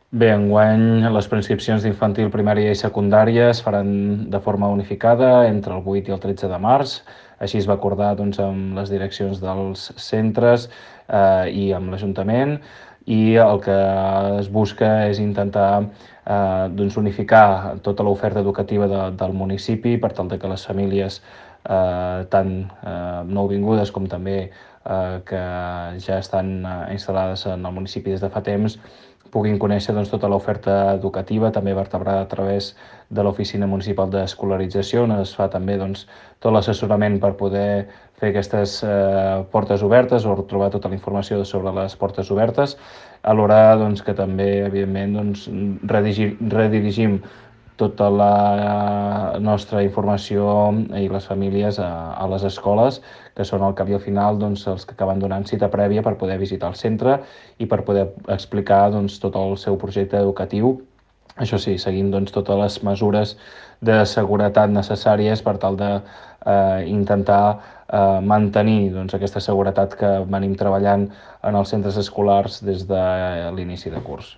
Bé, enguany les preinscripcions d'infantil, primària i secundària es faran de forma unificada entre el 8 i el 13 de març. Així es va acordar doncs, amb les direccions dels centres i amb l'Ajuntament, i el que es busca és intentar doncs, unificar tota l'oferta educativa del municipi per tal de que les famílies tant nouvingudes com també que ja estan instal·lades en el municipi des de fa temps puguin conèixer doncs, tota l'oferta educativa, també vertebrada a través de l'Oficina Municipal d'Escolarització, on es fa també doncs, tot l'assessorament per poder fer aquestes portes obertes o trobar tota la informació sobre les portes obertes, alhora doncs, que també, evidentment, doncs, redirigim tota la nostra informació i les famílies a les escoles, que són al cap i al final doncs, els que acaben donant cita prèvia per poder visitar el centre i per poder explicar doncs, tot el seu projecte educatiu. Això sí, seguint doncs, totes les mesures de seguretat necessàries per tal de intentar mantenir doncs, aquesta seguretat que venim treballant en els centres escolars des de l'inici de curs.